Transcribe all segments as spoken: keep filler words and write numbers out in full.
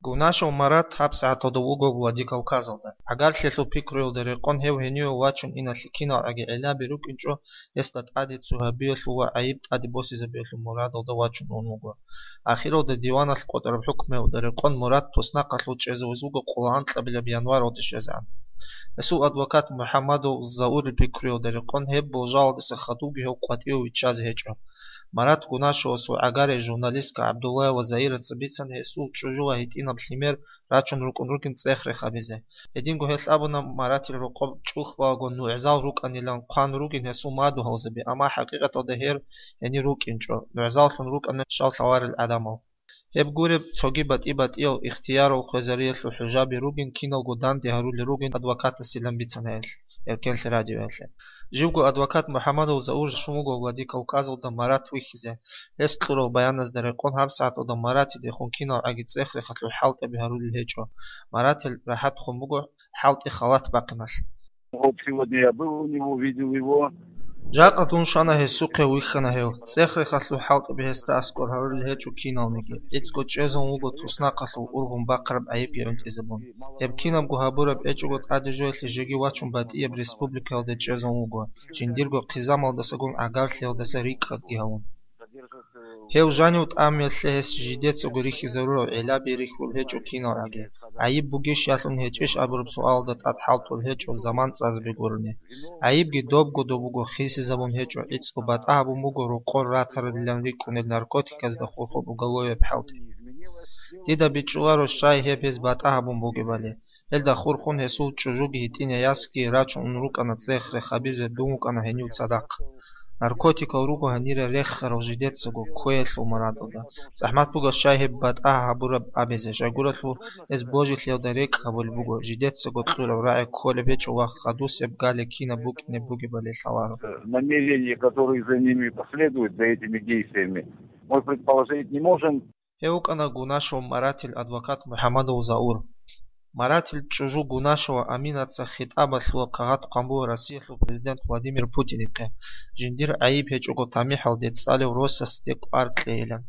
Гунашев Марат гьабсагӀаталда вуго Владикавказалда. ГӀагарлъиялъул пикруялда рекъон гьев гьениве вачун иналъе киналгӀаги гӀелаби рукӀинчӀо, гьесда тӀаде цо гьабиялъул ва гӀайиб тӀаде босизабиялъул мурадалда вачун ун вуго. Ахиралда диваналъ къотӀараб хӀукмуялда рекъон Марат туснахъалъув чӀезавуз вуго къоло анкьабилеб январалде щвезегӀан. Гьесул адвокат МухӀамадов Заурил пикруялда рекъон гьеб болжалдаса хадубги гьев къватӀиве виччазе гьечӀо. Марат Гунашевасул гӀагарей журналистка ГӀабдуллаева Заираца бицана гьесул чӀужула гьитӀинаб лъимер рачун рукӀун ругин цӀех-рех гьабизе. Гьединго гьелъ абуна Маратил рокъоб чӀухӀбалаго нугӀзал рукӀанилан хъван ругин гьесул мадугьалзаби, амма хӀакъикъаталда гьер гьенир рукӀинчӀо, нугӀзаллъун рукӀана щал лъаларел гӀадамал. Гьеб гуреб, цоги батӀи-батӀиял ихтиярал хвезариялъул хӀужаби ругин киналго данде гьарулел ругин адвокатасилан бицана гьелъ, Эркенлъи радиоялъе. Живго адвокат МухӀамадов Заур щун вуго Владикавказалда Марат вихьизе. Гьес кьурал баяназда рекъон гьабсагӀаталда Маратидехун киналгӀаги цӀех-рехалъул хӀалтӀаби гьарулел гьечӀо. Маратил рахӀатхун буго хӀалтӀи халат бахъиналъ. Вот сегодня я был у него, видел его. Жакъа дун щвана гьесухъе, вихьана гьев. ЦӀех-рехалъул хӀалтӀаби гьесда аскӀор гьарулел гьечӀо киналниги. ГӀицӀго чӀезавун вуго туснахъалъув ургъун бахъараб гӀайибги гӀунтӀизабун. Гьеб кинабго гьабураб гьечӀого тӀаде жоялъе жеги вачун батӀияб республикаялде чӀезавун вуго, жиндирго хъизамалдасагун гӀагарлъиялдаса рикӀкӀадги гьавун. Гьев жанив тӀамиялъе гьес жидецаго рихьизарурав гӀелаби рихьулел гьечӀо киналгӀаги. ГӀайиб бугищ ялъун гьечӀищ абураб суалалда тӀад хӀалтӀулел гьечӀо заман цӀазаби гурони. ГӀайибги добго-доб буго, хисизабун гьечӀо, гӀицӀго батӀа гьабун буго рокъор ратаралилан рикӀкӀунел наркотиказда хурхун уголовияб хӀалтӀи. Дида бичӀчӀуларо щай гьеб гьез батӀа гьабун бугебали. Гьелда хурхун гьесул чӀужуги гьитӀинай ясги рачун ун рукӀана цӀех-рех гьабизе, дун вукӀана гьенив цадахъ. Наркотикал руго гьанире рехарал жидецаго кквеялъул мурадалда. ЗахӀмат буго щай гьеб батӀа гьабураб абизе, щайгурелъул гьез божилъиялда рекӀкӀ гьабулеб буго, жидецаго кьураб рагӀи кколеб гьечӀо ва хадусеб гали кинаб букӀине бугебали лъаларо. Намерения, которые за ними последуют, за этими действиями, мы предположить не можем. Гьев вукӀана Гунашев Маратил адвокат МухӀамадов Заур. Маратил чӀужу Гунашева Аминаца хитӀабалъула кагъат хъван буго Россиялъул президент Владимир Путинихъе, жиндир гӀайиб гьечӀого тамихӀалде цӀалев росасде кӀвар кьейилан.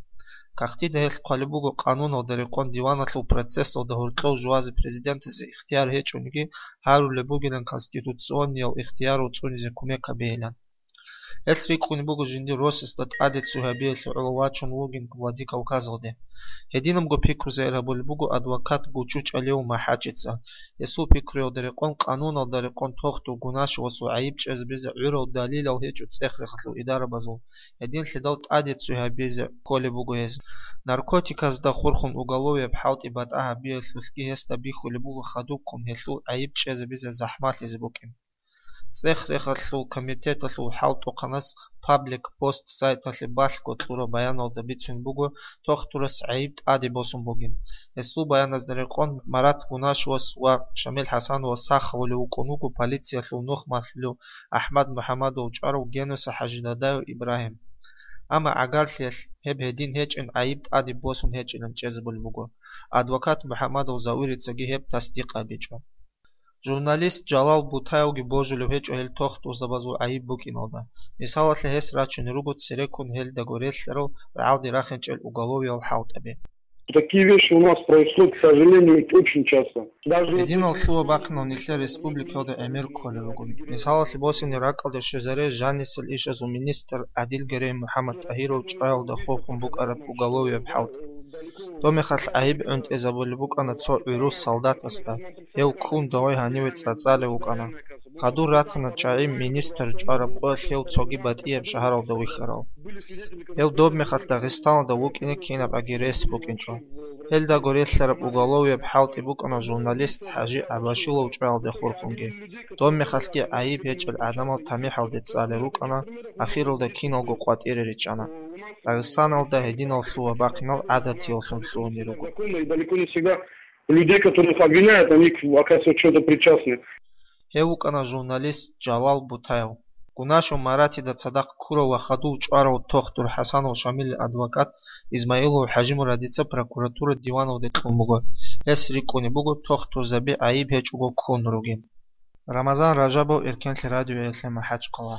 Кагътида гьелъ хъвалеб буго къануналда рекъон диваналъул процессалда гьоркьов жуазе президентасе ихтияр гьечӀониги гьарулеб бугилан конституциониял ихтиярал цӀунизе кумек гьабейилан. Гьелъ рикӀкӀунеб буго жиндир росасда тӀаде цо гьабиялъе гӀоло вачун вугин Владикавказалде. Гьединабго пикру загьир гьабулеб буго адвокат ГучӀучӀалиев МахӀачица. Гьесул пикруялда рекъон, къануналда рекъон тохтур Гунашевасул гӀайиб чӀезабизе гӀурал далилал гьечӀо цӀех-рехалъул идарабазул, гьединлъидал тӀаде цо гьабизе кколеб буго гьез. Наркотиказда хурхун уголовияб хӀалтӀи батӀа гьабиялъулъги гьесда бихьулеб буго хадубккун гьелъул гӀайиб чӀезабизе захӀмалъизе букӀин. ЦӀех-рехалъул комитеталъул хӀалтӀухъанас Паблик Пост сайталъе балъго кьураб баяналда бицун буго, тохтурас гӀайиб тӀаде босун бугин. Гьесул баяназда рекъон, Марат Гунашевас ва Шамил ХӀасановас сах гьавулев вукӀун вуго полициялъул нух малъулев АхӀмад МухӀамадов чӀварав Генуса ХӀажидадав Ибрагьим. Амма гӀагарлъиялъ гьеб гьедин гьечӀин, гӀайиб тӀаде босун гьечӀилан чӀезабулеб буго. Адвокат МухӀамадов Зауирицаги гьеб тасдикъ гьабичӀо. Журналист Жалал Бутаевги божулев гьечӀо гьел тохтурзабазул гӀайиб букӀиналда. Мисалалъе, гьес рачунел руго цереккун гьелдаго релълъарал рагӀалде рахинчӀел уголовиял хӀалтӀаби. Такие вещи у нас происходят, к сожалению, очень часто. Даже Гьединал лъугьа-бахъинал нилъер республикаялда гӀемер кколел руго. Мисалалъе босине, ракӀалде щвезаре жанисел ишазул министр Адил Герей МухӀаммад ТӀагьиров чӀваялда хурхун букӀараб уголовияб хӀалтӀи. Доб мехалъ гӀайиб гӀунтӀизабулеб букӀана цо гӀурус солдатасда, гьев ккун дагьай гьаниве цӀацӀалев вукӀана. Хадур ратана чагӀи министр чӀвараб къоялъ гьев цоги батӀияб шагьаралда вихьарал. Гьев доб мехалъ Дагъистаналда вукӀине кинаб аги рес букӀинчӀо. Гьелдаго релълъараб уголовияб хӀалтӀи букӀана журналист ХӀажи ГӀабашилов чӀваялда хурхунги. Доб мехалъги гӀайиб гьечӀел гӀадамал тамихӀалде цӀалел рукӀана, ахиралда киналго къватӀире ричӀана. Дагъистаналда гьединал лъугьа-бахъинал гӀадатияллъун лъугьунел руго. Законно и далеко не всегда людей, которых обвиняют, они, оказывается, что-то причастны. Гьев вукӀана журналист Жалал Бутаев. Гунашев Маратида цадахъ ккурав ва хадув чӀварав тохтур ХӀасанов Шамилил адвокат Измаилов ХӀажимурадица прокуратура диваналде кьун буго. Гьес рикӀкӀунеб буго тохтурзаби гӀайиб гьечӀого ккун ругин. Рамазан Ражабов, Эркенлъи радиоялъе МахӀачхъала.